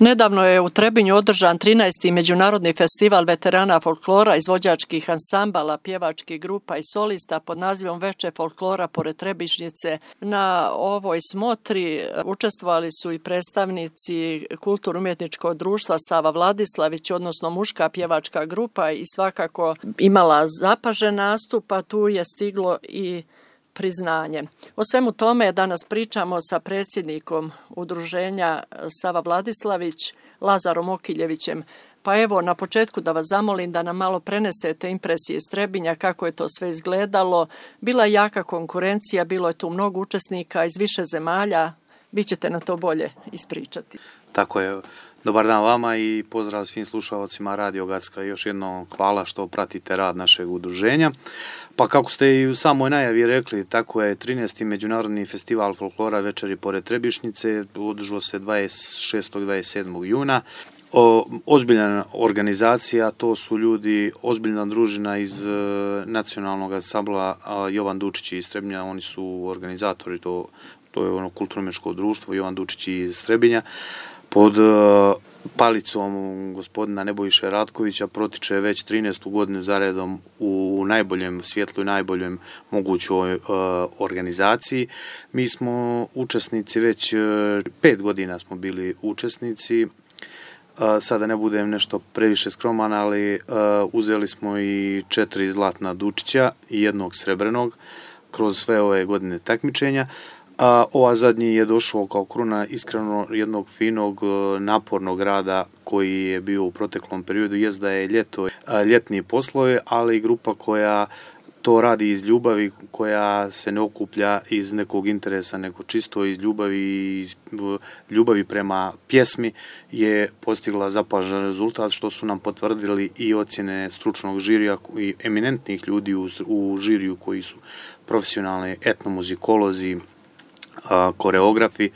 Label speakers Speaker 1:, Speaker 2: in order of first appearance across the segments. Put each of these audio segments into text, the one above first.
Speaker 1: Nedavno je u Trebinju održan 13. Međunarodni festival veterana folklora, izvođačkih ansambala, pjevačkih grupa i solista pod nazivom Veče folklora pored Trebišnjice. Na ovoj smotri učestvovali su i predstavnici kulturno-umjetničkog društva Sava Vladislavić, odnosno muška pjevačka grupa, i svakako imala zapažen nastup, a tu je stiglo i priznanje. O svemu tome danas pričamo sa predsjednikom udruženja Sava Vladislavić, Lazarom Okiljevićem. Pa evo, na početku da vas zamolim da nam malo prenesete impresije iz Trebinja, kako je to sve izgledalo. Bila je jaka konkurencija, bilo je tu mnogo učesnika iz više zemalja. Vi ćete na to bolje ispričati.
Speaker 2: Tako je. Dobar dan vama i pozdrav svim slušalcima Radio Gacka. Još jednom hvala što pratite rad našeg udruženja. Pa kako ste i u samoj najavi rekli, tako je 13. Međunarodni festival folklora Večeri pored Trebišnjice održao se 26. i 27. juna. Ozbiljna organizacija, to su ljudi, ozbiljna družina iz nacionalnog ansambla Jovan Dučić iz Trebinja, oni su organizatori, to je ono kulturno-umjetničko društvo Jovan Dučić iz Trebinja. Pod palicom gospodina Nebojše Ratkovića protiče već 13. godinu zaredom u najboljem svjetlu i najboljem mogućoj organizaciji. Mi smo učesnici već 5 godina smo bili učesnici. Sada ne budem nešto previše skroman, ali uzeli smo i 4 zlatna Dučića i 1 srebrnog kroz sve ove godine takmičenja. A ova zadnji je došao kao kruna iskreno jednog finog, napornog rada koji je bio u proteklom periodu. Jest da je ljetni poslovi, ali grupa koja to radi iz ljubavi, koja se ne okuplja iz nekog interesa, nego čisto iz ljubavi prema pjesmi, je postigla zapažen rezultat, što su nam potvrdili i ocjene stručnog žirija i eminentnih ljudi u žiriju koji su profesionalni etnomuzikolozi, koreografi,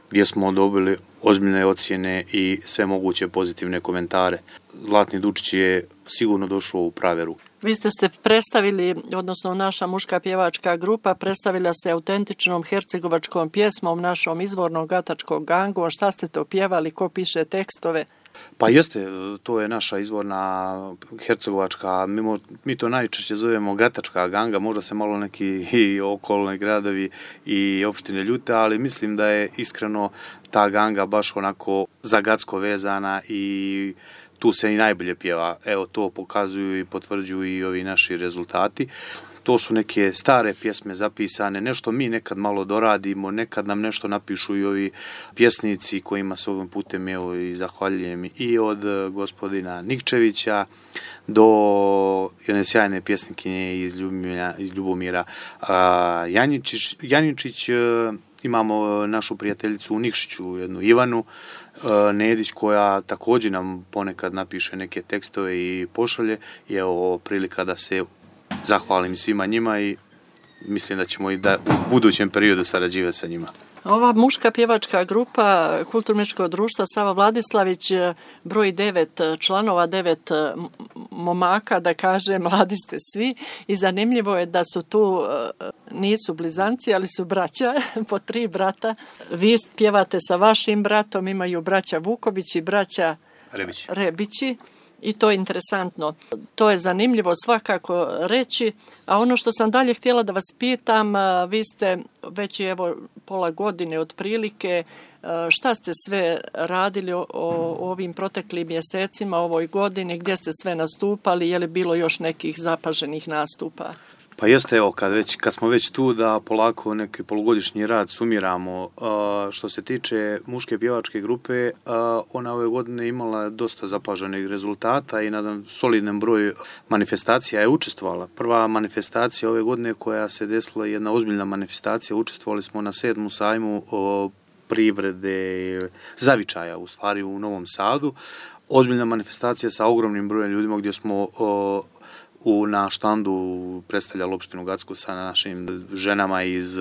Speaker 2: gdje smo dobili ozbiljne ocjene i sve moguće pozitivne komentare. Zlatni Dučić je sigurno došao u prave ruke.
Speaker 1: Vi ste predstavili, odnosno naša muška pjevačka grupa predstavila se autentičnom hercegovačkom pjesmom, našom izvornom gatačkom gangom. Šta ste to pjevali, ko piše tekstove?
Speaker 2: Pa jeste, to je naša izvorna hercegovačka, mi to najčešće zovemo gatačka ganga, možda se malo neki i okolni gradovi i opštine ljute, ali mislim da je iskreno ta ganga baš onako za Gacko vezana i tu se i najbolje pjeva. Evo, to pokazuju i potvrđuju i ovi naši rezultati. To su neke stare pjesme zapisane, nešto mi nekad malo doradimo, nekad nam nešto napišu i ovi pjesnici kojima se ovim putem evo i zahvaljujem, i od gospodina Nikčevića do jedne sjajne pjesnikinje iz Ljubomira Janjičić. Imamo našu prijateljicu u Nikšiću, jednu Ivanu Nedić, koja također nam ponekad napiše neke tekstove i pošalje. I evo prilika da se zahvalim svima njima i mislim da ćemo i da u budućem periodu sarađivati sa njima.
Speaker 1: Ova muška pjevačka grupa kulturno-umjetničkog društva Sava Vladislavić broji 9 članova, 9 momaka, da kažem, mladi ste svi, i zanimljivo je da su tu, nisu blizanci, ali su braća, po 3 brata. Vi pjevate sa vašim bratom, imaju braća Vuković i braća Rebići. I to je interesantno. To je zanimljivo svakako reći. A ono što sam dalje htjela da vas pitam, vi ste već evo pola godine otprilike, šta ste sve radili o ovim proteklim mjesecima, ovoj godini, gdje ste sve nastupali, je li bilo još nekih zapaženih nastupa?
Speaker 2: Pa jeste, evo, kad smo već tu da polako neki polugodišnji rad sumiramo. Što se tiče muške pjevačke grupe, ona ove godine imala dosta zapaženih rezultata i na solidan broj manifestacija je učestvovala. Prva manifestacija ove godine koja se desila, jedna ozbiljna manifestacija, učestvovali smo na 7. sajmu privrede zavičaja, u stvari u Novom Sadu. Ozbiljna manifestacija sa ogromnim brojem ljudima gdje smo na štandu predstavljali opštinu Gacku sa našim ženama iz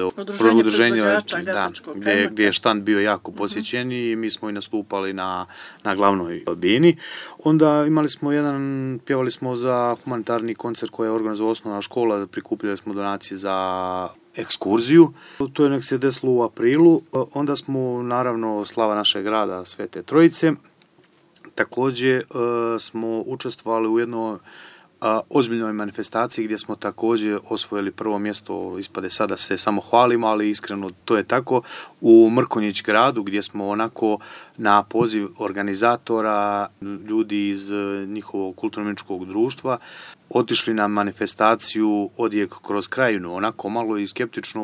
Speaker 2: udruženja, gdje je štand bio jako posjećen i mi smo i nastupali na glavnoj bini. Onda pjevali smo za humanitarni koncert koji je organizovala osnovna škola, prikupljali smo donacije za ekskurziju. To je nek se desilo u aprilu. Onda smo, naravno, slava našeg grada Svete Trojice. Također smo učestvovali u jednoj ozbiljnoj manifestaciji gdje smo također osvojili prvo mjesto, ispade sada se samo hvalimo, ali iskreno to je tako, u Mrkonjić gradu gdje smo onako na poziv organizatora, ljudi iz njihovog kulturno-umjetničkog društva, otišli na manifestaciju Odjek kroz krajinu, onako malo i skeptično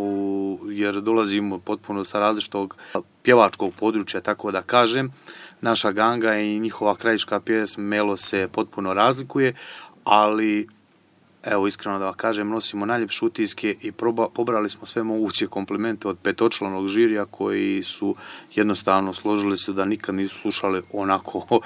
Speaker 2: jer dolazimo potpuno sa različitog pjevačkog područja, tako da kažem. Naša ganga i njihova krajiška pjesma Melo se potpuno razlikuje, ali evo iskreno da vam kažem, nosimo najljepše utiske i pobrali smo sve moguće komplimente od petočlanog žirija koji su jednostavno složili se da nikad nisu slušali onako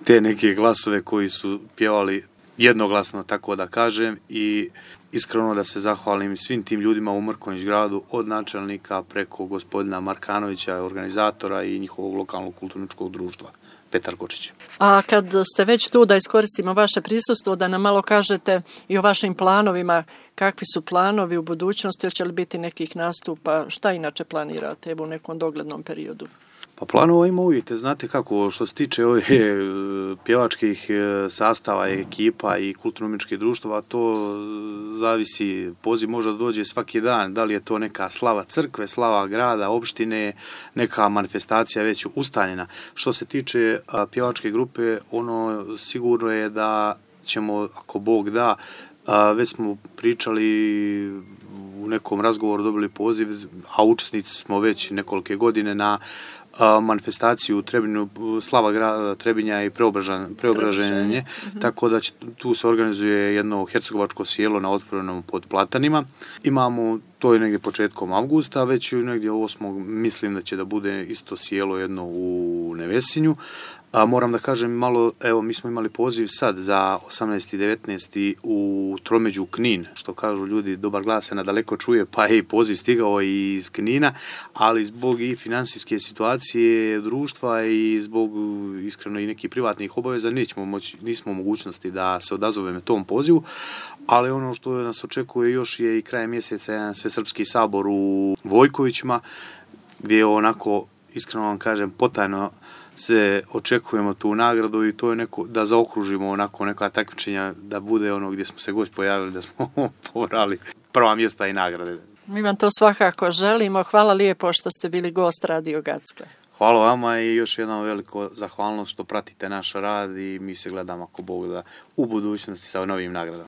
Speaker 2: te neke glasove koji su pjevali jednoglasno, tako da kažem, i iskreno da se zahvalim svim tim ljudima u Mrkonjić gradu, od načelnika preko gospodina Markanovića, organizatora i njihovog lokalnog kulturničkog društva. Petar Kočić.
Speaker 1: A kad ste već tu, da iskoristimo vaše prisustvo, da nam malo kažete i o vašim planovima, kakvi su planovi u budućnosti, hoće li biti nekih nastupa, šta inače planirate u nekom doglednom periodu?
Speaker 2: Pa planova ima uvijek, znate kako, što se tiče ove pjevačkih sastava, ekipa i kulturno-umjetničkih društava, to zavisi, poziv može da dođe svaki dan, da li je to neka slava crkve, slava grada, opštine, neka manifestacija već ustaljena. Što se tiče pjevačke grupe, ono sigurno je da ćemo, ako Bog da, već smo pričali u nekom razgovoru, dobili poziv, a učesnici smo već nekolike godine na manifestaciju u Trebinju, slava grada Trebinja i preobraženje, tako da tu se organizuje jedno hercegovačko sjelo na otvorenom pod platanima. Imamo, to je negdje početkom avgusta, već negdje 8. mislim da će da bude isto sjelo jedno u Nevesinju. Moram da kažem malo, evo mi smo imali poziv sad za 18. i 19. u Tromeđu Knin, što kažu ljudi, dobar glas se nadaleko čuje, pa je i poziv stigao i iz Knina, ali zbog i financijske situacije društva i zbog iskreno i nekih privatnih obaveza nismo u mogućnosti da se odazovemo tom pozivu, ali ono što nas očekuje još je i krajem mjeseca jedan Svesrpski sabor u Vojkovićima, gdje je onako, iskreno vam kažem, potajno se očekujemo tu nagradu i to je neko, da zaokružimo onako neka takmičenja, da bude ono gdje smo se gost pojavili, da smo pobrali prva mjesta i nagrade.
Speaker 1: Mi vam to svakako želimo. Hvala lijepo što ste bili gost Radio Gacka.
Speaker 2: Hvala vama i još jednom veliko zahvalnost što pratite naš rad i mi se gledamo ako Bog da u budućnosti sa novim nagradama.